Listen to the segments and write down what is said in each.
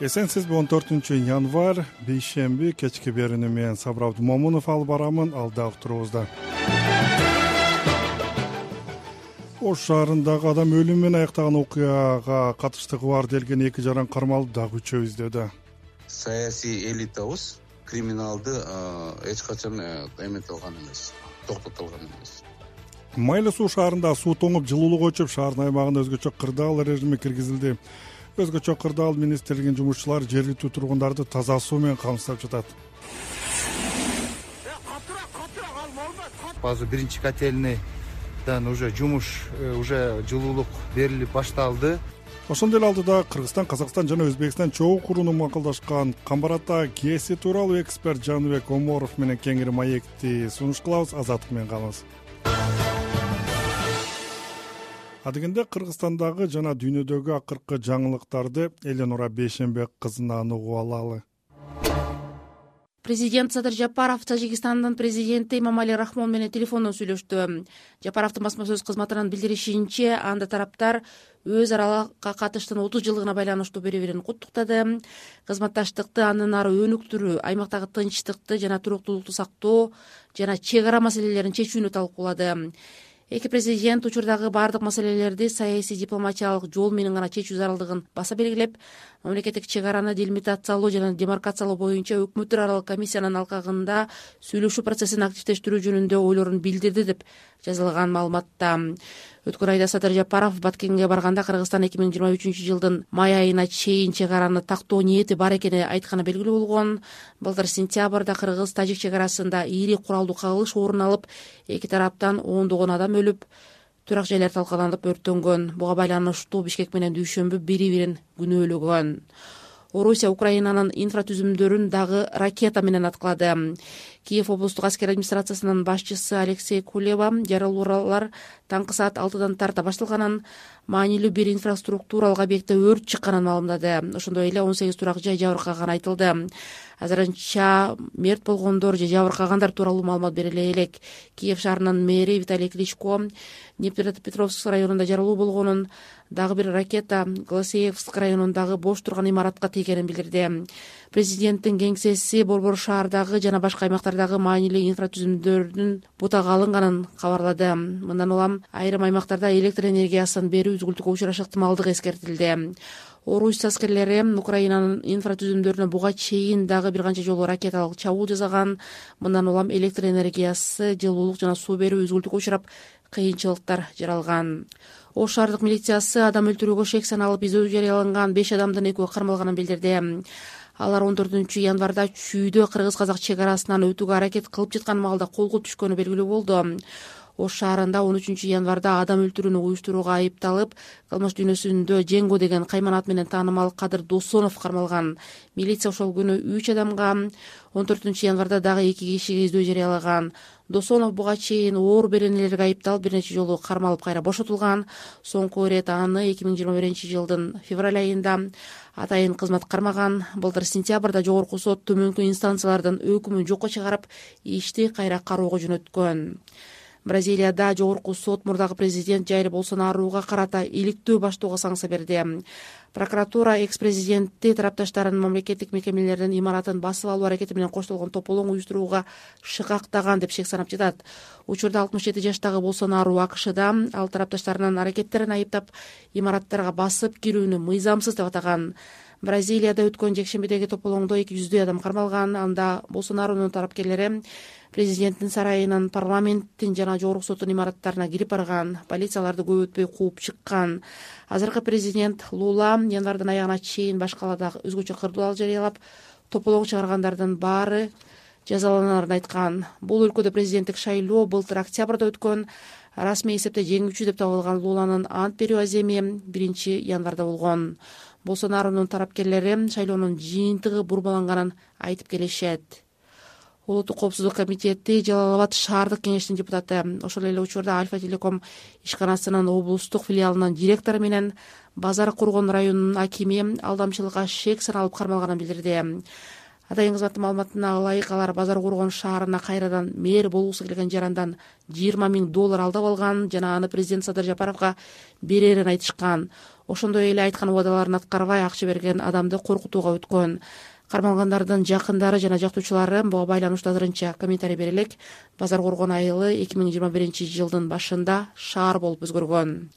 Эсенсизби 14 январь бейшемби кечки берүүнү менен Сабыр Абдумомунов алып барамын. Алдагы турубузда Ош шаарындагы адам өлүмү менен аяктаган окуяга катыштыгы бар делген 2 жаран кармалып дагы 3 издөөдө. Саясий элитабыз криминалды эч качан эмете алган эмес, токтото алган эмес. Майлы суу шаарында суу тоңуп жылуулук өчүп, шаардын аймагына өзгөчө кырдаал режими киргизилди. Өзгөчө кырдаал министрлигинин жумушчулары жергиликтүү тургундарды таза суу менен камсыздап жатат. Базы биринчи котельныйдан уже жумуш, уже жылуулук берилип башталды. Ошондой эле алдыда Кыргызстан, Казакстан жана Өзбекстан чогуу курууну макулдашкан Камбар-Ата КЭСи тууралуу эксперт Жаныбек Оморов менен кеңири маекти сунуш кылабыз. Азаттык менен калыңыз. Адегенде Кыргызстандагы жана дүйнөдөгү акыркы жаңылыктарды Эленора Бейшембек кызынан угуп алалы. Президент Садыр Жапаров Тажикстандын президенти Эмомали Рахмон менен телефондон сүйлөштү. Жапаровдун басма сөз кызматынан билдиришинче, анда тараптар өз аралыкка катыштын 30 жылдыгына байланыштуу бири-бирин куттуктады. Кызматташтыкты андан ары өнүктүрүү, аймактагы тынчтыкты жана туруктуулукту сактоо жана чек ара маселелерин чечүүнү талкуулады. Эки президент учурдагы бардык маселелерди саясий дипломатиялык жол менен гана чечүү зарылдыгын баса белгилеп, мамлекеттик чек араны делимитациялоо жана демаркациялоо боюнча өкмөттөр аралык комиссиянын алкагында сүйлөшүү процессин активдештирүү жөнүндө ойлорун билдирди деп жазылган маалыматта. Өткөн айда Садыр Жапаров Баткенге барганда Кыргызстан 2023-жылдын май айына чейин чек араны тактоо ниети бар экени айтканы белгилүү болгон. Былтыр сентябрда Кыргыз-Тажик чек арасында ири куралдуу кагылыш орун алып, эки тараптан ондогон адам өлүп, турак жайлар талкаланып өрттөнгөн. Буга байланыштуу Бишкек менен Дүйшөмбү бири-бирин күнөөлөгөн. Орусия Украинанын инфратүзүмдөрүн дагы ракета менен аткылады. Киев облустук аскер администрациясынын башчысы Алексей Кулева жарылуулар таңкы саат 6-дан тарта башталганын, маанилүү бир инфраструктуралык объектте өрт чыкканын маалымдады. Ошондой эле 18 турак жай жабыркаганы айтылды. Азырынча мерт болгондор же жабыркагандар тууралуу маалымат бериле элек. Киев шаарынын мэри Виталий Кличко Днепропетровск районунда жарылуу болгонун, дагы бир ракета Голосеевск районундагы бош турган имаратка тийгенин билдирди. Президенттин кеңсеси Борбор шаардагы жана башка аймактардагы маанилүү инфратүзүмдөрдүн бутага алынганын кабарлады. Мындан улам айрым аймактарда электр энергиясын берүү үзгүлтүккө учурашы ыктымалдыгы эскертилди. Орус аскерлери Украинанын инфратүзүмдөрүнө буга чейин дагы бир канча жолу ракеталык чабуул жасаган. Мындан улам электр энергиясы, жылуулук жана суу берүү үзгүлтүккө учурап, кыйынчылыктар жаралган. Ош шаардык милициясы адам өлтүрүүгө шек саналып издөө жарыяланган 5 адамдын экөө кармалганын билдирди. Алар 14 январда Чүйдө кыргыз-казак чек арасынан өтүүгө аракет кылып жаткан маалда колго түшкөнү белгилүү болду. Ош шаарында 13 январда адам өлтүрүүнү уюштурууга айыпталып, кылмыш дүйнөсүндө Жеңго деген кайман ат менен таанымал Кадыр Досонов кармалган. Милиция ошол күнү 3 адамга, 14 январда дагы 2 кишиге издөө жарыялаган. Досонов буга чейин оор беренелерге айыпталып бир нече жолу кармалып кайра бошотулган. Соңку ирет аны 2021-жылдын февраль айында атайын кызмат кармаган. Былтыр сентябрда жогорку сот төмөнкү инстанциялардын өкүмүн жокко чыгарып, ишти кайра кароого жөнөткөн. Бразилияда жогорку сот мурдагы президент Жайр Болсонаруга карата иликтөө баштоого санкция берди. Прокуратура экс-президентти тарапташтарын мамлекеттик мекемелердин имаратын басып алуу аракети менен коштолгон тополоң уюштурууга шыкактаган деп шек санап жатат. Учурда 67 жаштагы Болсонару АКШда, ал тарапташтарынын аракеттерин айыптап, имараттарга басып кирүүнү мыйзамсыз деп атаган. Бразилияда өткөн жекшембидеги тополоңдо 200 адам кармалган. Анда Болсонарунун тарапкерлери президенттин сарайынын, парламенттин жана жогорку соттун имараттарына кирип барган. Полицияларды көп өтпөй кууп чыккан. Азыркы президент Лула январдын аягына чейин баш калаада өзгөчө кырдаал жарыялап, тополоң чыгаргандардын баары жазаланарын айткан. Бул өлкөдө президенттик шайлоо былтыр октябрда өткөн. Расмий эсепте жеңүүчү деп табылган Луланын ант берүү аземи 1 январда болгон. Болсонарунун тарапкерлери шайлоонун жыйынтыгы бурмаланганын айтып келишет. Улуттук коопсуздук комитети Жалал Абад шаардык кеңештин депутаты. Ошол эле учурда Альфа Телеком ишканасынын облустук филиалынын директору менен Базар Кургон районунун акими алдамчылыкка шек саналып кармалганын билдирди. Атайын кызматтын маалыматына ылайык, алар Базар Коргон шаарына кайрадан мэр болгусу келген жарандан $20,000 алдап алган жана аны президент Садыр Жапаровго берерин айтышкан. Ошондой эле айткан убадаларын аткарбай акча берген адамды коркутууга өткөн. Кармалгандардын жакындары жана жактоочулары буга байланыштуу азырынча комментарий бере элек. Базар Коргон айылы 2021-жылдын башында шаар болуп өзгөргөн.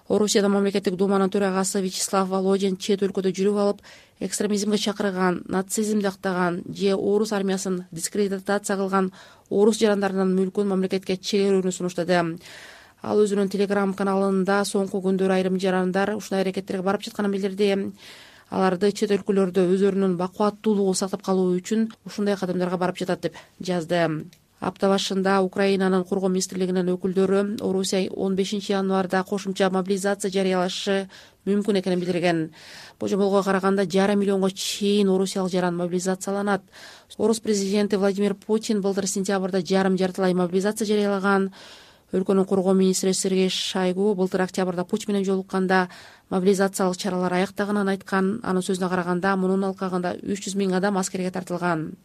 Орусияда мамлекеттик думанын төрагасы Вячеслав Володин чет өлкөдө жүрүп алып, экстремизмге чакырган, нацизмди актаган же орус армиясын дискредитация кылган орус жарандарынын мүлкүн мамлекетке чегерүүнү сунуштады. Ал өзүнүн Telegram каналында соңку күндөр айрым жарандар ушундай аракеттерге барып жатканын билдирди. Аларды чет өлкөлөрдө өздөрүнүн бакубаттуулугун сактап калуу үчүн ушундай кадамдарга барып жатат деп жазды. Апта башында Украинанын Коргоо министрлигинин өкүлдөрү Орусия 15-январда кошумча мобилизация жарыялашы мүмкүн экенин билдирген. Божомолго караганда 5,5 миллионго чейин орусиялык жаран мобилизацияланат. Орус президенти Владимир Путин былтыр сентябрда жартылай мобилизация жарыялаган. Өлкөнүн коргоо министри Сергей Шойгу былтыр октябрда Путин менен жолукканда мобилизациялык чаралар аяктаганын айткан. Анын сөзүнө караганда мунун алкагында 300,000 адам аскерге тартылган.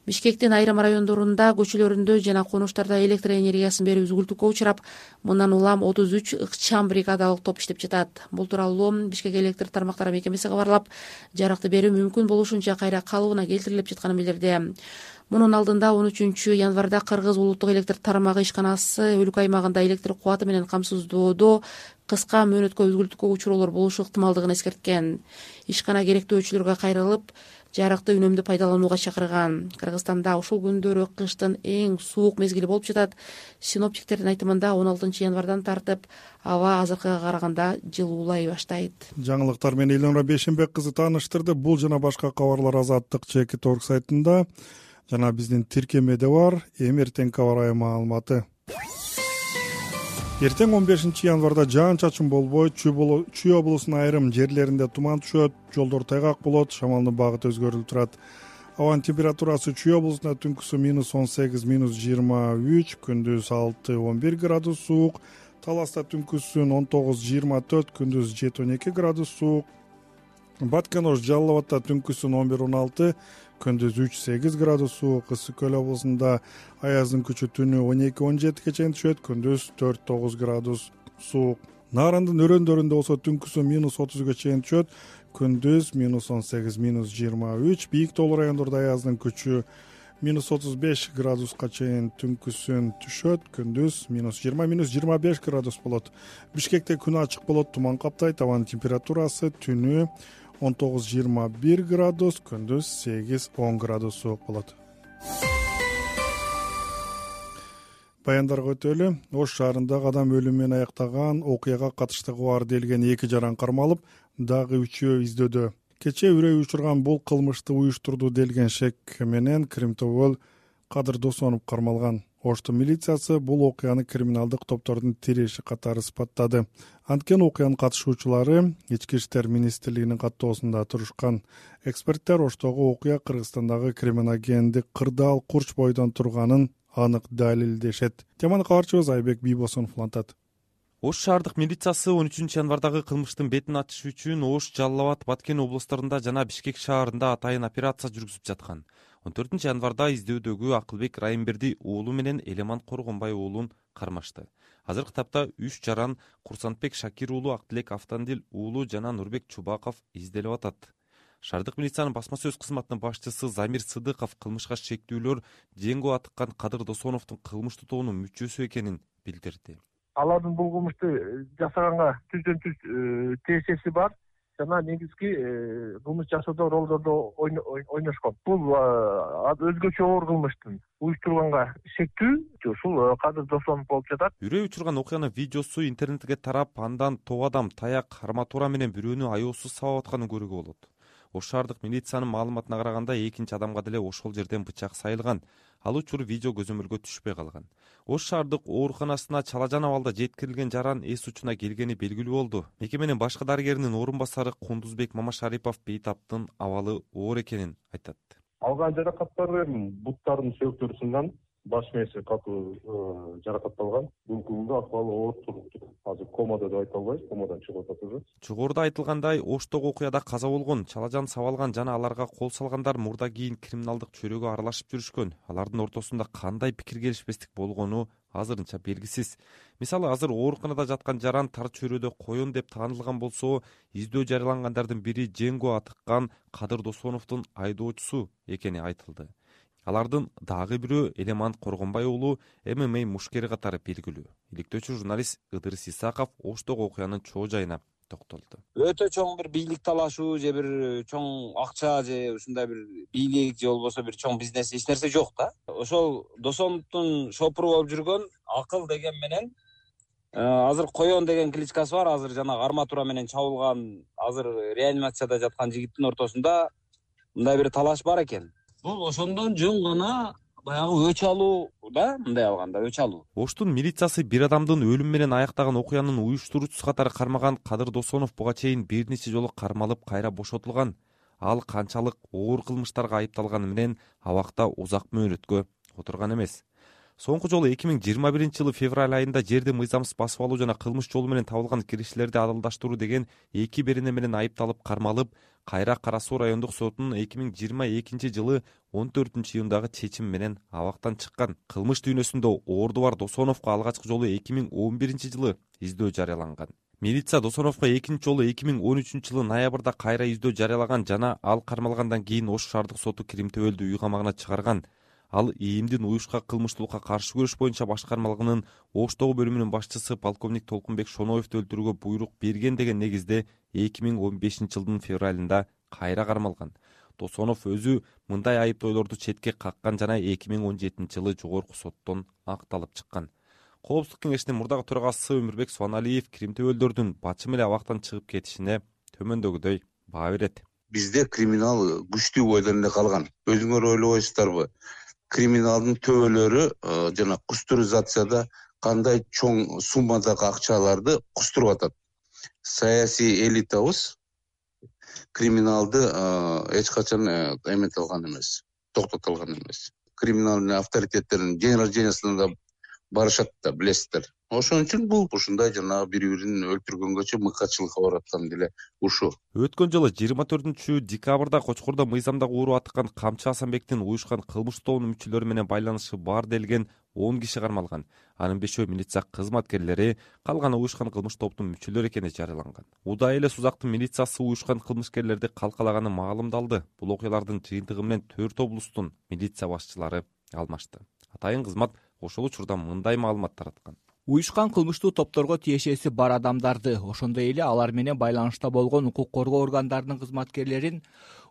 Бишкектин айрым райондорунда, көчөлөрүндө жана конуштарда электр энергиясын берүү үзгүлтүккө учурап, мындан улам 33 ыкчам бригадалык топ иштеп жатат. Бул тууралуу Бишкек электр тармактары мекемеси кабарлап, жарыкты берүү мүмкүн болушунча кайра калыбына келтирилип жатканын билдирди. Мунун алдында 13-январда Кыргыз улуттук электр тармагы ишканасы өлкө аймагында электр кубаты менен камсыздоодо кыска мөөнөткө үзгүлтүккө учуроолор болушу ыктымалдыгын эскерткен. Ишкана керектөөчүлөргө кайрылып, жарыкты үнөмдүү пайдаланууга чакырган. Кыргызстанда ушул күндөрү кыштын эң суук мезгили болуп жатат. Синоптиктердин айтымында 16-январдан тартып аба азыркыга караганда жылуулай баштайт. Жаңылыктар менен Элнура Бейшенбек кызы тааныштырды. Бул жана башка кабарлар Азаттык ЧК сайтында жана биздин тиркемеде бар. Эртең аба ырайы маалыматы. Эртең 15-январда жаан-чачын болбой, Чүй облусунун айрым жерлеринде туман түшөт, жолдор тайгак болот, шамалдын багыты өзгөрүлүп турат. Абанын температурасы Чүй облусунда түнкүсү -18, -23, күндүз 6-11 градус суук, Таласта түнкүсүн 19-24, күндүз 7-12 градус суук, Баткен Ош Жалал Абадта түнкүсүн 11-16, күндүз 3-8 градус суук, Ысык Көл облусунда аяздын күчү түнү 12-17 чейин түшөт, күндүз 4-9 градус суук. Нарындын өрөөндөрүндө болсо түнкүсү -30 чейин түшөт, күндүз -18, -23. Бийик тоолуу райондордо аяздын күчү -35 градуска чейин түнкүсүн түшөт, күндүз -20, -25 градус болот. Бишкекте күн ачык болот, туман каптайт, абанын температурасы түнү 19-21 градус, күндүз 8-10 градус суук болот. Баяндарга өтөлү. Ош шаарындагы адам өлүмү менен аяктаган окуяга катыштыгы бар делген 2 жаран кармалып, дагы 3-өө издөөдө. Кечээ үрөй учурган бул кылмышты уюштурду делген шек менен Кримтобол Кадыр Досонов кармалган. Оштун милициясы бул окуяны криминалдык топтордун тиреши катары сыпаттады. Анткени окуянын катышуучулары Ички иштер министрлигинин каттоосунда турушкан. Эксперттер Оштогу окуя Кыргызстандагы криминогендик кырдаал курч бойдон турганын анык далилдешет. Теманы кабарчыбыз Айбек Бийбосунов улантат. Ош шаардык милициясы 13-январдагы кылмыштын бетин ачыш үчүн Ош, Жалал Абад, Баткен облустарында жана Бишкек шаарында атайын операция жүргүзүп жаткан. 14-январда издөөдөгү Акылбек Райымберди уулу менен Элеман Коргонбай уулун кармашты. Азыркы тапта 3 жаран Курсантбек Шакир уулу, Актилек Автандил уулу жана Нурбек Чубаков изделип атат. Шаардык милициянын басма сөз кызматынын башчысы Замир Сыдыков кылмышка шектүүлөр жеңгөө атыккан Кадыр Досоновдун кылмыштуу тобунун мүчөсү экенин билдирди. Алардын бул кылмышты жасаганга түздөн-түз тиешеси бар жана негизги кылмыш жасоодо ролдорду ойношкон. Бул өзгөчө оор кылмыштын уюштурганга шектүү ушул Кадыр Досонов болуп жатат. Үрөй учурган окуянын видеосу интернетке тарап, андан топ адам таяк, арматура менен бирөөнү аяосуз сабап атканын көрүүгө болот. Ош шаардык милициянын маалыматына караганда экинчи адамга деле ошол жерден бычак сайылган. Ал учур видео көзөмөлгө түшпөй калган. Ош шаардык ооруканасына чалажан абалда жеткирилген жаран эс учуна келгени белгилүү болду. Мекеменин башкы дарыгеринин орун басары Кундузбек Мамашарипов бейтаптын абалы оор экенин айтат. Алган жаракаттардын буттарынын сөөктөрү сынган, баш мээси катуу жаракат алган. Бүгүнкү акыбалы оор туруптур. Азыр комада деп айта албайбыз, комадан чыгып атат уже. Жогоруда айтылгандай, Оштогу окуяда каза болгон, чалажан сабалган жана аларга кол салгандар мурда кийин криминалдык чөйрөгө аралашып жүрүшкөн. Алардын ортосунда кандай пикир келишпестик болгону азырынча белгисиз. Мисалы, азыр ооруканада жаткан жаран тар чөйрөдө коен деп таанылган болсо, издөө жарыялангандардын бири Женго атыккан Кадыр Досоновдун айдоочусу экени айтылды. Алардын дагы бирөө Элемант Коргонбай уулу ММА мушкери катары белгилүү. Иликтөөчү журналист Ыдырыс Исаков Оштогу окуянын чоо жайына токтолду. Өтө чоң бир бийлик талашуу же бир чоң акча же ушундай бир бийлик же болбосо бир чоң бизнес эч нерсе жок да. Ошол Досоновдун шопуру болуп жүргөн Акыл деген менен азыр Коен деген кличкасы бар. Азыр жанагы арматура менен чабылган, азыр реанимацияда жаткан жигиттин ортосунда мындай бир талаш бар экен. Бул ошондон жөн гана баягы өч алуу да, мындай алганда өч алуу. Оштун милициясы бир адамдын өлүм менен аяктаган окуянын уюштуруучусу катары кармаган Кадыр Досонов буга чейин бир нече жолу кармалып кайра бошотулган. Ал канчалык оор кылмыштарга айыпталганы менен абакта узак мөөнөткө отурган эмес. Соңку жолу 2021-жылы февраль айында жерди мыйзамсыз басып алуу жана кылмыш жолу менен табылган киришчилерди адалдаштыруу деген 2 берене менен айыпталып кармалып, кайра Кара Суу райондук сотунун 2022-жылы 14-июндагы чечими менен абактан чыккан. Кылмыш дүйнөсүндө орду бар Досоновго алгачкы жолу 2011-жылы издөө жарыяланган. Милиция Досоновго экинчи жолу 2013-жылы ноябрда кайра издөө жарыялаган жана ал кармалгандан кийин Ош шаардык соту Кримтөбөлдү үй камагына чыгарган. Ал ИИМдин уюшка кылмыштуулукка каршы күрөш боюнча башкармалыгынын Оштогу бөлүмүнүн башчысы полковник Толкунбек Шоноевду өлтүрүүгө буйрук берген деген негизде 2015-жылдын февралында кайра кармалган. Досонов өзү мындай айыптоолорду четке каккан жана 2017-жылы жогорку соттон акталып чыккан. Коопсуздук кеңешинин мурдагы төрагасы Өмүрбек Суаналиев Кримтөбөлдөрдүн бачы эле абактан чыгып кетишине төмөндөгүдөй баа берет. Бизде криминал күчтүү бойдон эле калган. Өзүңөр ойлобойсуздарбы? Криминалдын төбөлөрү жана кустуризацияда кандай чоң суммадагы акчаларды кустуруп атат. Саясий элитабыз криминалды эч качан эмете алган эмес, токтото алган эмес. Криминалдын авторитеттеринин день рождениясына да барышат да, билесиздер. Ошон үчүн бул ушундай жанагы бири-бирин өлтүргөнгөчө мыкаатчылыкка барып аткан деле ушу. Өткөн жылы 24-декабрда Кочкордо мыйзамдагы ууру атыккан Камчы Асанбектин уюшкан кылмыш тобунун мүчөлөрү менен байланышы бар делген 10 киши кармалган. Анын 5-өө милиция кызматкерлери, калганы уюшкан кылмыш топтун мүчөлөрү экени жарыяланган. Удай эле Сузактын милициясы уюшкан кылмышкерлерди калкалаганы маалымдалды. Бул окуялардын жыйынтыгы менен 4 облустун милиция башчылары алмашты. Атайын кызмат ошол учурда мындай маалымат тараткан. Уюшкан кылмыштуу топторго тиешеси бар адамдарды, ошондой эле алар менен байланышта болгон укук коргоо органдарынын кызматкерлерин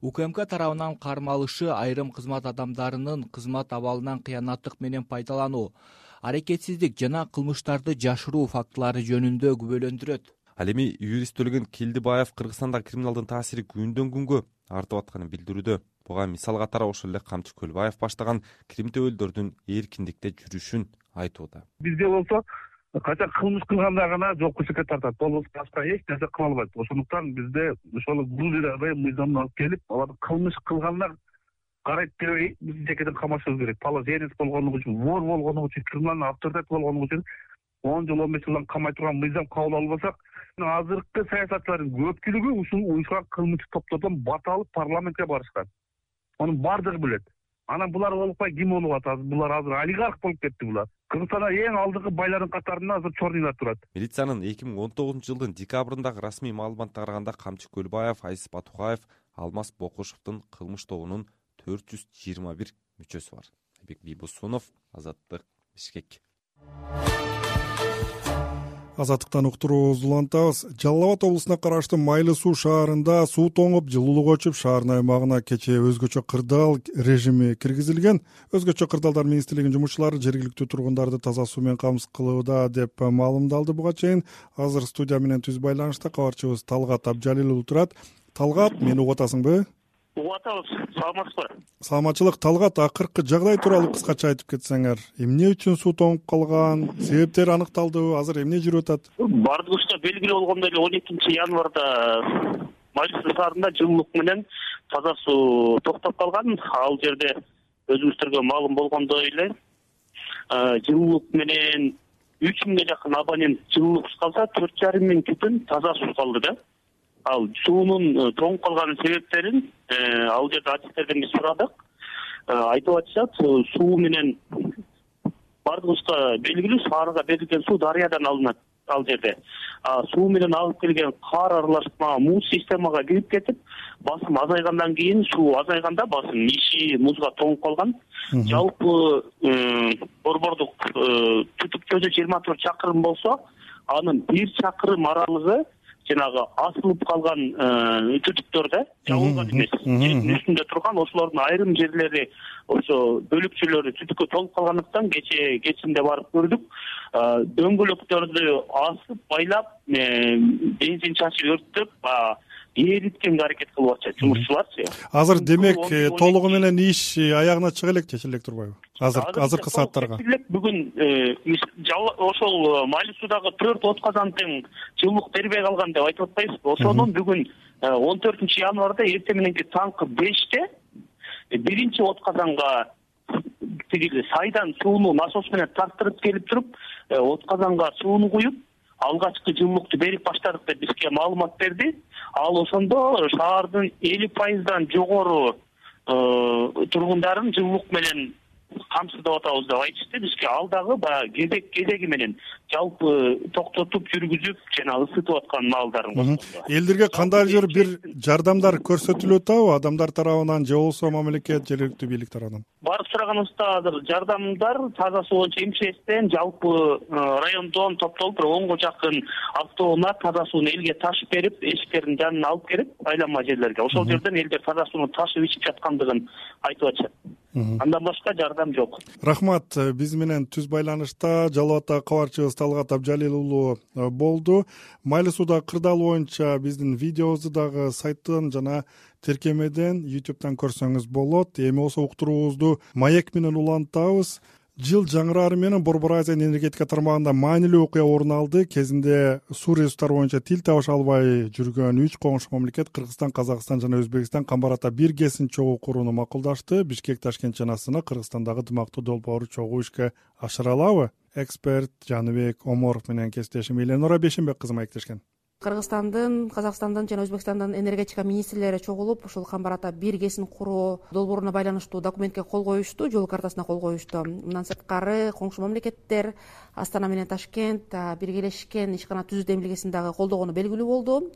УКМК тарабынан кармалышы, айрым кызмат адамдарынын кызмат абалынан кыянаттык менен пайдалануу, аракетсиздик жана кылмыштарды жашыруу фактылары жөнүндө күбөлөндүрөт. Ал эми юрист Төлөгөн Келдибаев Кыргызстандагы криминалдын таасири күндөн күнгө артып атканын билдирүүдө. Буга мисал катары ошол эле Камчы Көлбаев баштаган Кримтөбөлдөрдүн эркиндикте жүрүшүн айтууда. Бизде болсо качан кылмыш кылганда гана жоопкерчиликке тартат, болбосо башка эч нерсе кыла албайт. Ошондуктан бизде ошол бул жерде мыйзамды алып келип, аларды кылмыш кылгандар карайт дебей, биз жекеден камашыбыз керек. Положенец болгону үчүн, вор болгону үчүн, криминалдын авторитет болгону үчүн 10 жыл 15 жылдан камай турган мыйзам кабыл албасак, азыркы саясатчылардын көпчүлүгү ушул уюшкан кылмыш топтордон бата алып парламентке барышкан. Анын бардыгы билет. Анан булар болупай ким болуп атат? Булар азыр олигарх болуп кетти булар. Кыргызстанда эң алдыңкы байлардын катарында азыр чорныйлар турат. Милициянын 2019-жылдын декабрындагы расмий маалыматына караганда Камчы Көлбаев, Айсиз Батукаев, Алмаз Бокушевдун кылмыш тобунун 421 мүчөсү бар. Айбек Бийбусунов, Азаттык, Бишкек. Азаттыктан уктуруубузду улантабыз. Жалал Абад облусуна караштуу Майлы Суу шаарында суу тоңуп, жылуулук өчүп, шаардын аймагына кечээ өзгөчө кырдаал режими киргизилген. Өзгөчө кырдаалдар министрлигинин жумушчулары жергиликтүү тургундарды таза суу менен камсыз кылууда деп маалымдалды буга чейин. Азыр студия менен түз байланышта кабарчыбыз Талгат Абжалил уулу турат. Талгат, мени угуп атасыңбы? Угуп атабыз. Саламатсызбы? Саламатчылык. Талгат, акыркы жагдай тууралуу кыскача айтып кетсеңер. Эмне үчүн суу тоңуп калган? Себептери аныкталдыбы? Азыр эмне жүрүп атат? Бардыгыбызга белгилүү болгондой эле 12-январда Майлы Суу шаарында жылуулук менен таза суу токтоп калган. Ал жерде өзүңүздөргө маалым болгондой эле жылуулук менен 3000ге жакын абонент жылуулуксуз калса 4,5 миң түтүн таза суу калды да. Ал суунун тоңуп калган себептерин ал жерде артисттерден биз сурадык. Айтып атышат, суу менен бардыгыбызга белгилүү, шаарга берилген суу дарыядан алынат ал жерде. Суу менен алып келген кар аралашма муз системага кирип кетип, басым азайгандан кийин, суу азайганда басым иши музга тоңуп калган. Жалпы борбордук түтүк көзү 24 чакырым болсо, анын 1 чакырым аралыгы жанагы асылып калган түтүктөр да, жабылган эмес. Жердин үстүндө турган ошолордун айрым жерлери ошо бөлүкчөлөрү түтүккө толуп калгандыктан кечинде барып көрдүк. Дөңгөлөктөрдү асып, байлап, бензин чачып өрттөп, эриткенге аракет кылып атышат жумушчуларчы. Азыр демек толугу менен иш аягына чыга элек же, чечилек турбайбы? Азыркы сааттарга. Бүгүн ошол Майли суудагы 4 отказандын жылуулук бербей калган деп айтып атпайбызбы? Ошонун бүгүн 14 январда эртең мененки таңкы 5-те биринчи отказанга тиги сайдан сууну насос менен тарттырып келип туруп, отказанга сууну куюп, алгачкы жылуулукту берип баштадык деп бизге маалымат берди. Ал ошондо шаардын 50% жогору тургундарын жылуулук менен камсыздап атабыз деп айтышты. Бизге ал дагы баягы кезеги менен жалпы токтотуп жүргүзүп жана ысытып аткан маалдарын кошкондо. Элдерге кандайдыр бир жардамдар көрсөтүлүп атабы адамдар тарабынан же болбосо мамлекет, жергиликтүү бийлик тарабынан? Барып сураганыбызда азыр жардамдар таза суу боюнча МЧСтен жалпы райондон топтолуп 10га жакын автоунаа таза сууну элге ташып берип, эшиктердин жанына алып келип, айланма жерлерге. Ошол жерден элдер таза сууну ташып ичип жаткандыгын айтып атышат. Андан башка жардам жок. Рахмат. Биз менен түз байланышта Жалал Абаддагы кабарчыбыз Талгат Абжалил уулу болду. Майли сууда кырдаал боюнча биздин видеобузду дагы сайттан жана тиркемеден YouTube'дан көрсөңүз болот. Эми болсо уктуруубузду маек менен улантабыз. Жыл жаңырары менен Борбор Азия энергетика тармагында маанилүү окуя орун алды. Кезинде суу ресурстары боюнча тил табыша албай жүргөн 3 коңшу мамлекет Кыргызстан, Казакстан жана Өзбекстан Камбарата бир КЭСин чогуу курууну макулдашты. Бишкек, Ташкент жана Астана Кыргызстандагы дымактуу долбоорду чогуу ишке ашыра алабы? Эксперт Жаныбек Оморов менен кесиптешим Эленора Бешенбек кызы маектешкен. Кыргызстандын, Казакстандын жана Өзбекстандын энергетика министрлери чогулуп, ушул Камбарата бир КЭСин куруу долбооруна байланыштуу документке кол коюшту, жол картасына кол коюшту. Мындан сырткары коңшу мамлекеттер Астана менен Ташкент биргелешкен ишкана түзүү демилгесин дагы колдогону белгилүү болду.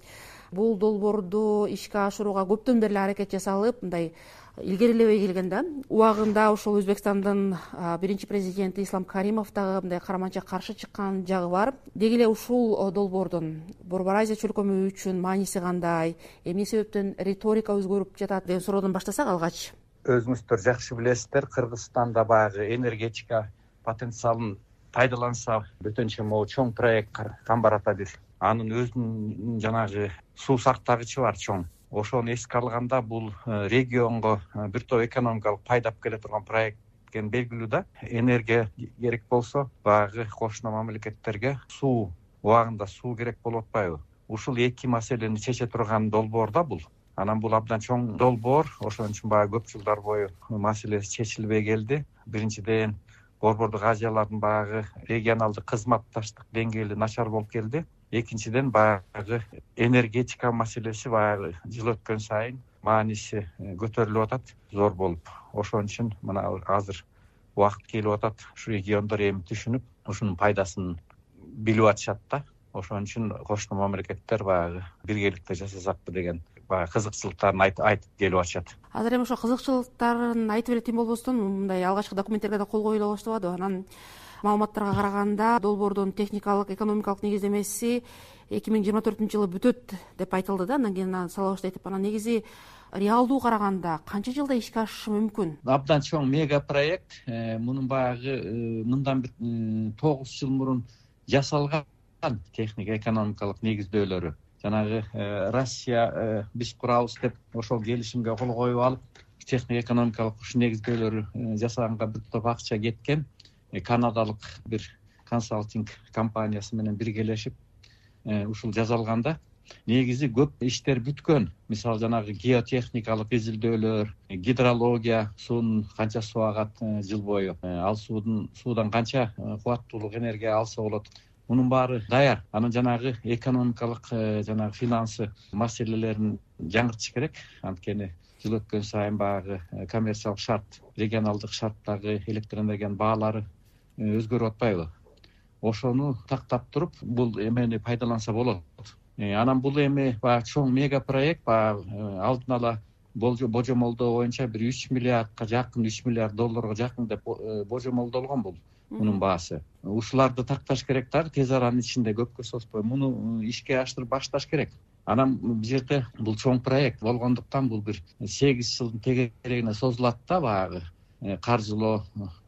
Бул долбоорду ишке ашырууга көптөн бери аракет жасалып, мындай илгерилебей келген да. Убагында ошол Өзбекстандын биринчи президенти Ислам Каримов дагы мындай караманча каршы чыккан жагы бар. Деги эле ушул долбоордун Борбор Азия чөлкөмү үчүн мааниси кандай, эмне себептен риторика өзгөрүп жатат деген суроодон баштасак алгач. Өзүңүздөр жакшы билесиздер, Кыргызстанда баягы энергетика потенциалын пайдаланса бөтөнчө могу чоң проект Камбарата бир. Анын өзүнүн жанагы суу сактагычы бар чоң. Ошону эске алганда бул регионго бир топ экономикалык пайда алып келе турган проект экен белгилүү да. Энергия керек болсо баягы кошуна мамлекеттерге суу убагында суу керек болуп атпайбы? Ушул эки маселени чече турган долбоор да бул. Анан бул абдан чоң долбоор, ошон үчүн баягы көп жылдар бою маселеси чечилбей келди. Биринчиден борбордук Азиялардын баягы регионалдык кызматташтык деңгээли начар болуп келди. Экинчиден баягы энергетика маселеси баягы жыл өткөн сайын мааниси көтөрүлүп атат, зор болуп. Ошон үчүн мына азыр убакыт келип атат, ушу региондор эми түшүнүп, ушунун пайдасын билип атышат да. Ошон үчүн кошуна мамлекеттер баягы биргеликте жасасакпы деген баягы кызыкчылыктарын айтып келип атышат. Азыр эми ошо кызыкчылыктарын айтып эле тим болбостон, мындай алгачкы документтерге да кол коюла баштабады. Анан маалыматтарга караганда долбоордун техникалык, экономикалык негиздемеси 2024-жылы бүтөт деп айтылды да. Андан кийин сала баштайт деп. Анан негизи реалдуу караганда канча жылда ишке ашышы мүмкүн? Абдан чоң мега проект. Мунун баягы мындан бир 9 жыл мурун жасалган техник экономикалык негиздөөлөрү. Жанагы Россия биз курабыз деп ошол келишимге кол коюп алып, техник экономикалык ушу негиздөөлөрү жасаганга бир топ акча кеткен. Канадалык бир консалтинг компаниясы менен биргелешип ушул жасалганда негизи көп иштер бүткөн. Мисалы жанагы геотехникалык изилдөөлөр, гидрология, суунун канча суу агат жыл бою, ал суудан канча кубаттуулук энергия алса болот, мунун баары даяр. Анан жанагы экономикалык жанагы финансы маселелерин жаңыртыш керек. Анткени жыл өткөн сайын баягы коммерциялык шарт, регионалдык шарттагы электр энергиянын баалары өзгөрүп атпайбы? Ошону тактап туруп, бул эмени пайдаланса болот. Анан бул эми баягы чоң мега проект, баягы алдын ала божомолдоо боюнча бир 3 миллиардка жакын, 3 миллиард долларга жакын деп божомолдолгон бул мунун баасы. Ушуларды такташ керек да, тез аранын ичинде көпкө созбой муну ишке аштырып башташ керек. Анан бул жерде бул чоң проект болгондуктан бул бир 8 жылдын тегерегине созулат да, баягы каржылоо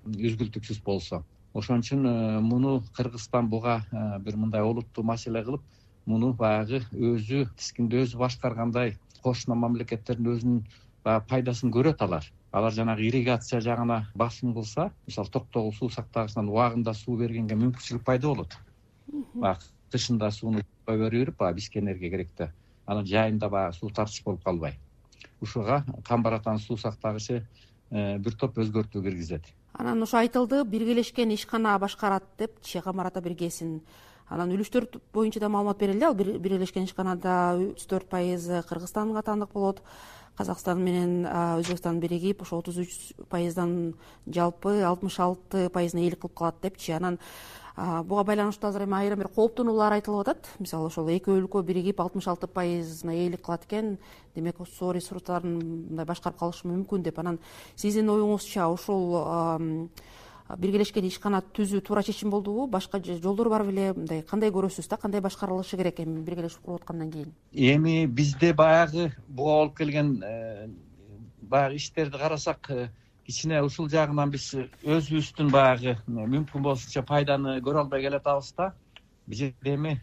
үзгүлтүксүз болсо. Ошон үчүн муну Кыргызстан буга бир мындай олуттуу маселе кылып, муну баягы өзү тискинде өзү башкаргандай кошуна мамлекеттердин өзүнүн пайдасын көрөт алар. Алар жанагы ирригация жагына басым кылса, мисалы Токтогул суу сактагычынан убагында суу бергенге мүмкүнчүлүк пайда болот. Баягы тышында сууну берип, баягы бизге энергия керек да. Анан жайында баягы суу тартыш болуп калбай. Ушуга Камбар-Атанын суу сактагычы бир топ өзгөртүү киргизет. Анан ошо айтылды, биргелешкен ишкана башкарат депчи Камбар-Ата биргесин. Анан үлүштөр боюнча да маалымат берилди. Ал биргелешкен ишканада 34% Кыргызстанга атандык болот. Казакстан менен Өзбекстан биригип, ошо 33%дан жалпы 66%-ына ээлик кылып калат депчи. Анан буга байланыштуу азыр эми айрым бир кооптонуулар айтылып атат. Мисалы ошол эки өлкө биригип 66%-на ээлик кылат экен, демек суу ресурстарын мындай башкарып калышы мүмкүн деп. Анан сиздин оюңузча ошол биргелешкен ишкана түзүү туура чечим болдубу? Башка жолдор бар беле? Мындай кандай көрөсүз да, кандай башкарылышы керек эми биргелешип куруп аткандан кийин? Эми бизде баягы буга болуп келген баягы иштерди карасак, кичине ушул жагынан биз өзүбүздүн баягы мүмкүн болушунча пайданы көрө албай келатабыз да. Бул жерде эми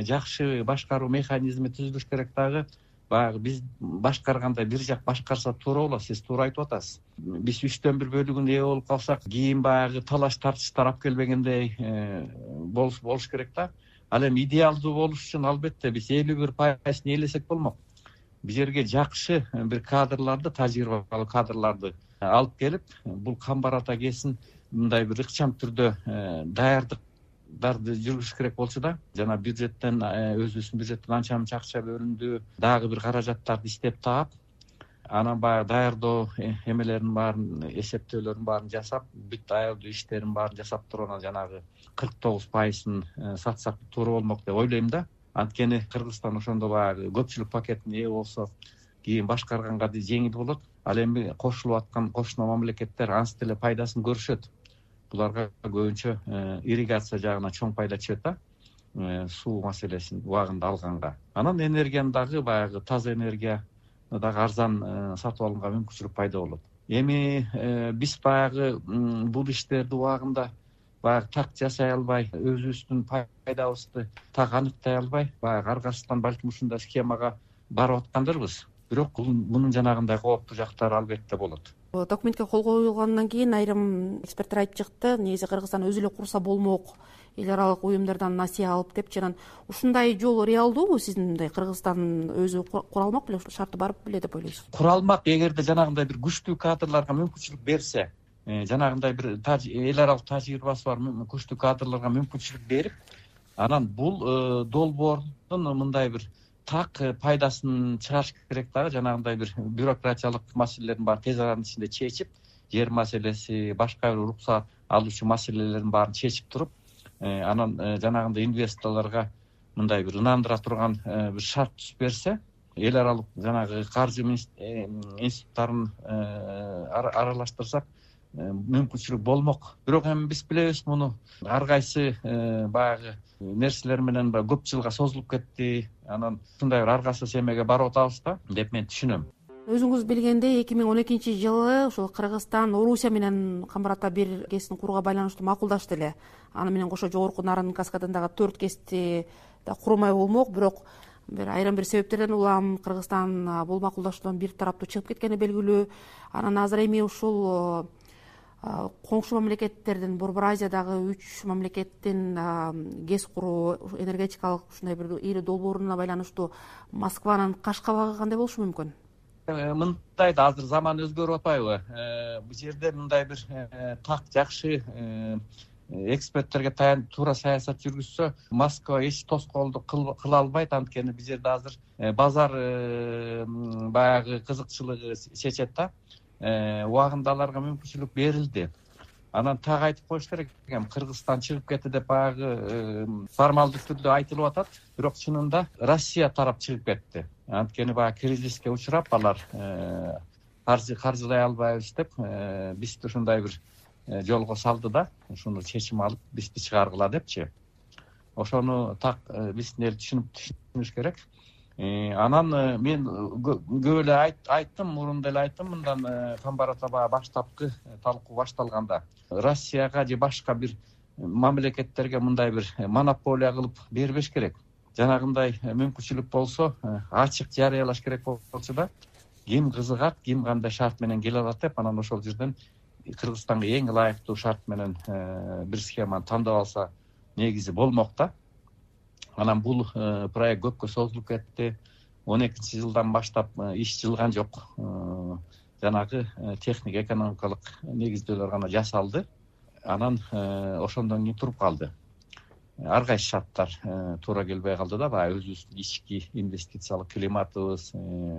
жакшы башкаруу механизми түзүлүш керек дагы. Баягы биз башкарганда бир жак башкарса туура болот, сиз туура айтып атасыз. Биз 3/4 бөлүгүн ээ болуп калсак, кийин баягы талаш тартыштар алып келбегендей болуш керек да. Ал эми идеалдуу болуш үчүн албетте биз 51% ээлесек болмок. Бул жерге жакшы бир кадрларды, тажрыйбалуу кадрларды алып келип, бул Камбар-Ата КЭСин мындай бир ыкчам түрдө даярдыктарды жүргүзүш керек болчу да. Жана бюджеттен, өзүбүздүн бюджеттен анча мынча акча бөлүндү, дагы бир каражаттарды издеп таап, анан баягы даярдоо эмелерин баарын, эсептөөлөрүн баарын жасап, бүт аялдуу иштерин баарын жасап туруп, анан жанагы 49%-ын сатсак туура болмок деп ойлойм да. Анткени Кыргызстан ошондо баягы көпчүлүк пакетине ээ болсо, кийин башкарганга жеңил болот. Ал эми кошулуп аткан кошуна мамлекеттер анча деле пайдасын көрүшөт. Буларга көбүнчө ирригация жагына чоң пайда чыгат да, суу маселесин убагында алганга. Анан энергияны дагы баягы таза энергия дагы арзан сатып алганга мүмкүнчүлүк пайда болот. Эми биз баягы бул иштерди убагында баягы так жасай албай, өзүбүздүн пайдабызды так аныктай албай, баягы аркасынан балким ушундай схемага барып аткандырбыз. Бирок мунун жанагындай кооптуу жактары албетте болот. Документке кол коюлгандан кийин айрым эксперттер айтып чыкты, негизи Кыргызстан өзү эле курса болмок, эл аралык уюмдардан насыя алып депчи. Анан ушундай жол реалдуубу? Сиздин мындай Кыргызстан өзү кура алмак беле, шарты бар беле деп ойлойсуз? Кура алмак, эгерде жанагындай бир күчтүү кадрларга мүмкүнчүлүк берсе, жанагындай бир эл аралык тажрыйбасы бар күчтүү кадрларга мүмкүнчүлүк берип, анан бул долбоордун мындай бир так пайдасын чыгарыш керек дагы. Жанагындай бир бюрократиялык маселелердин баарын тез аранын ичинде чечип, жер маселеси, башка бир уруксат алуучу маселелердин баарын чечип туруп, анан жанагындай инвесторлорго мындай бир ынандыра турган бир шарт түзүп берсе, эл аралык жанагы каржы институттарын аралаштырсак мүмкүнчүлүк болмок. Бирок эми биз билебиз, муну ар кайсы баягы нерселер менен көп жылга созулуп кетти. Анан ушундай бир аргасыз эмеге барып атабыз да деп мен түшүнөм. Өзүңүз билгендей 2012-жылы ушул Кыргызстан Орусия менен Камбар-Ата бир КЭСин курууга байланыштуу макулдашты эле. Аны менен кошо жогорку Нарын каскадындагы 4 КЭСти да курмай болмок. Бирок айрым бир себептерден улам Кыргызстан бул макулдашуудан бир тараптуу чыгып кеткени белгилүү. Анан азыр эми ушул коңшу мамлекеттердин Борбор Азиядагы 3 мамлекеттин гез куруу энергетикалык ушундай бир ири долбооруна байланыштуу Москванын каш кабагы кандай болушу мүмкүн? Мындай да азыр заман өзгөрүп атпайбы? Бул жерде мындай бир так жакшы эксперттерге таянып туура саясат жүргүзсө, Москва эч тоскоолдук кыла албайт. Анткени бул жерде азыр базар баягы кызыкчылыгы чечет да. Убагында аларга мүмкүнчүлүк берилди. Анан так айтып коюш керек экен, Кыргызстан чыгып кетти деп баягы формалдуу түрдө айтылып атат, бирок чынында Россия тарап чыгып кетти. Анткени баягы кризиске учурап алар каржылай албайбыз деп бизди ушундай бир жолго салды да, ушуну чечим алып бизди чыгаргыла депчи. Ошону так биздин эл түшүнүш керек. Анан мен көп эле айттым, мурун деле айттым, мындан Камбарата баштапкы талкуу башталганда Россияга же башка бир мамлекеттерге мындай бир монополия кылып бербеш керек. Жанагындай мүмкүнчүлүк болсо ачык жарыялаш керек болчу да, ким кызыгат, ким кандай шарт менен келе алат деп, анан ошол жерден Кыргызстанга эң ылайыктуу шарт менен бир схеманы тандап алса негизи болмок да. Анан бул проект көпкө созулуп кетти. 12-жылдан баштап иш жылган жок. Жанагы техник экономикалык негиздөөлөр гана жасалды. Анан ошондон кийин туруп калды. Ар кайсы шарттар туура келбей калды да, баягы өзүбүздүн ички инвестициялык климатыбыз,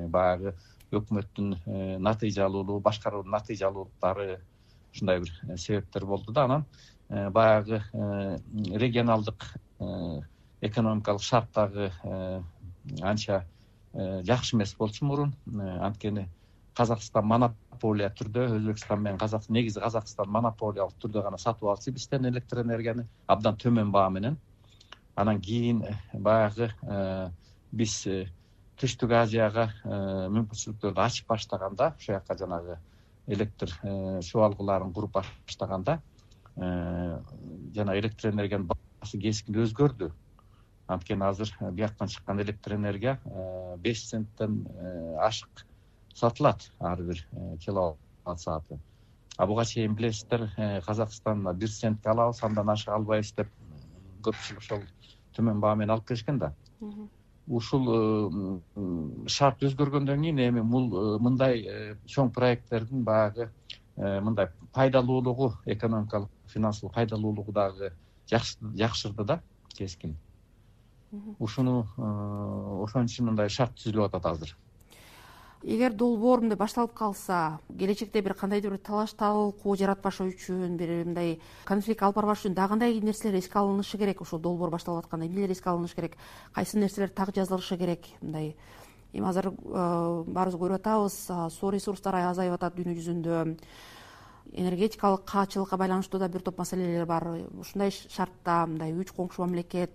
баягы өкмөттүн натыйжалуулугу, башкаруунун натыйжалуулуктары, ушундай бир себептер болду да. Анан баягы регионалдык экономикалык шарттагы анча жакшы эмес болчу мурун. Анткени Казакстан монополия түрдө, Өзбекстан менен негизи Казакстан монополиялык түрдө гана сатып алчу бизден электр энергияны абдан төмөн баа менен. Анан кийин баягы биз Түштүк Азияга мүмкүнчүлүктөрдү ачып баштаганда, ошол жака жанагы электр чубалгыларын куруп баштаганда, жана электр энергиянын баасы кескин өзгөрдү. Анткени азыр бияктан чыккан электр энергия 5 центтен ашык сатылат ар бир киловатт сааты. Буга чейин билесиздер, Казакстан 1 центке алабыз, андан ашык албайбыз деп көпчүлүк ошол төмөн баа менен алып келишкен да. Ушул шарт өзгөргөндөн кийин эми мындай чоң проекттердин баягы мындай пайдалуулугу, экономикалык, финансылык пайдалуулугу дагы жакшырды да, кескин. Ушуну ошон үчүн мындай шарт түзүлүп атат азыр. Эгер долбоор мындай башталып калса, келечекте бир кандайдыр бир талаш талкуу жаратпашы үчүн, бир мындай конфликт алып барбаш үчүн дагы кандай нерселер эске алынышы керек? Ошол долбоор башталып атканда эмнелер эске алынышы керек? Кайсы нерселер так жазылышы керек? Мындай эми азыр баарыбыз көрүп атабыз, суу ресурстары азайып атат дүйнө жүзүндө. Энергетикалык каачылыкка байланыштуу да бир топ маселелер бар. Ушундай шартта мындай 3 коңшу мамлекет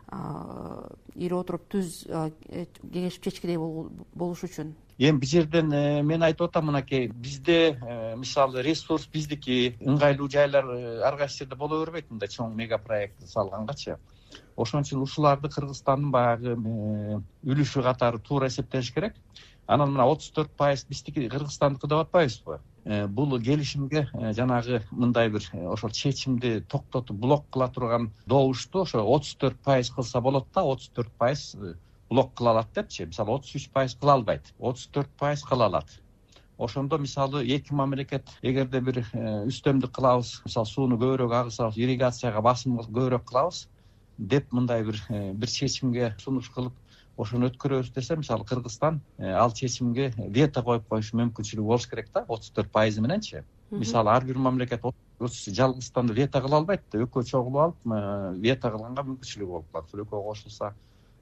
ири отуруп түз кеңешип чечкидей болуш үчүн. Эми бул жерден мен айтып атам, мынакей бизде мисалы ресурс биздики, ыңгайлуу жайлар ар кайсы жерде боло бербейт, мындай чоң мега проект салгангачы. Ошон үчүн ушуларды Кыргызстандын баягы үлүшү катары туура эсептеш керек. Анан мына 34% биздики Кыргызстандыкы деп атпайбызбы? Бул келишимге жанагы мындай бир ошол чечимди токтотуп блок кыла турган добушту ошо 34% кылса болот да, 34% блок кыла алат депчи. Мисалы 33% кыла албайт, 34% кыла алат. Ошондо мисалы эки мамлекет эгерде бир үстөмдүк кылабыз, мисалы сууну көбүрөөк агызабыз, ирригацияга басым көбүрөөк кылабыз деп мындай бир чечимге сунуш кылып ошону өткөрөбүз десе, мисалы Кыргызстан ал чечимге вето коюп коюш мүмкүнчүлүгү болуш керек да, 34% мененчи. Мисалы ар бир мамлекет жалгыздан вето кыла албайт да, экөө чогулуп алып вето кылганга мүмкүнчүлүгү болуп калат. Экөө кошулса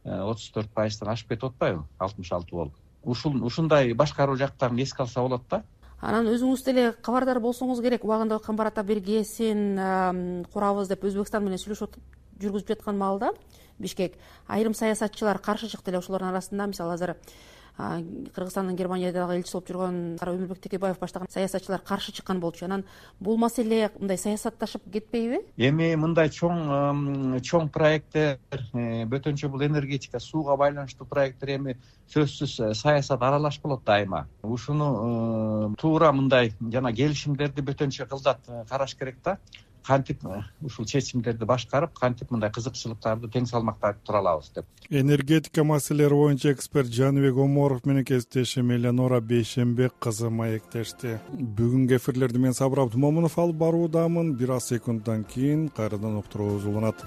34%-тан ашып кетип атпайбы? 66 болуп. Ушундай башкаруу жактарын эске алса болот да. Анан өзүңүз деле кабардар болсоңуз керек. Убагында Камбарата бир ГЭСин курабыз деп Өзбекстан менен сүйлөшүп жүргүзүп жаткан маалда Бишкек айрым саясатчылар каршы чыкты эле. Ошолордун арасында мисалы азыр Кыргызстандын Германиядагы элчиси болуп жүргөн Өмүрбек Текебаев баштаган саясатчылар каршы чыккан болчу. Анан бул маселе мындай саясатташып кетпейби? Эми мындай чоң проекттер, бөтөнчө бул энергетика, сууга байланыштуу проекттер эми сөзсүз саясат аралаш болот дайыма. Ушуну туура мындай жана келишимдерди бөтөнчө кылдат караш керек да. Кантип ушул чечимдерди башкарып, кантип мындай кызыкчылыктарды тең салмактап тура алабыз деп. Энергетика маселелери боюнча эксперт Жаныбек Оморов менен кесиптешим Элеонора Бейшенбек кызы маектешти. Бүгүнкү эфирлерди мен Сабыр Абдымомунов алып баруудамын. Бир аз секунддан кийин кайрадан уктуруубуз уланат.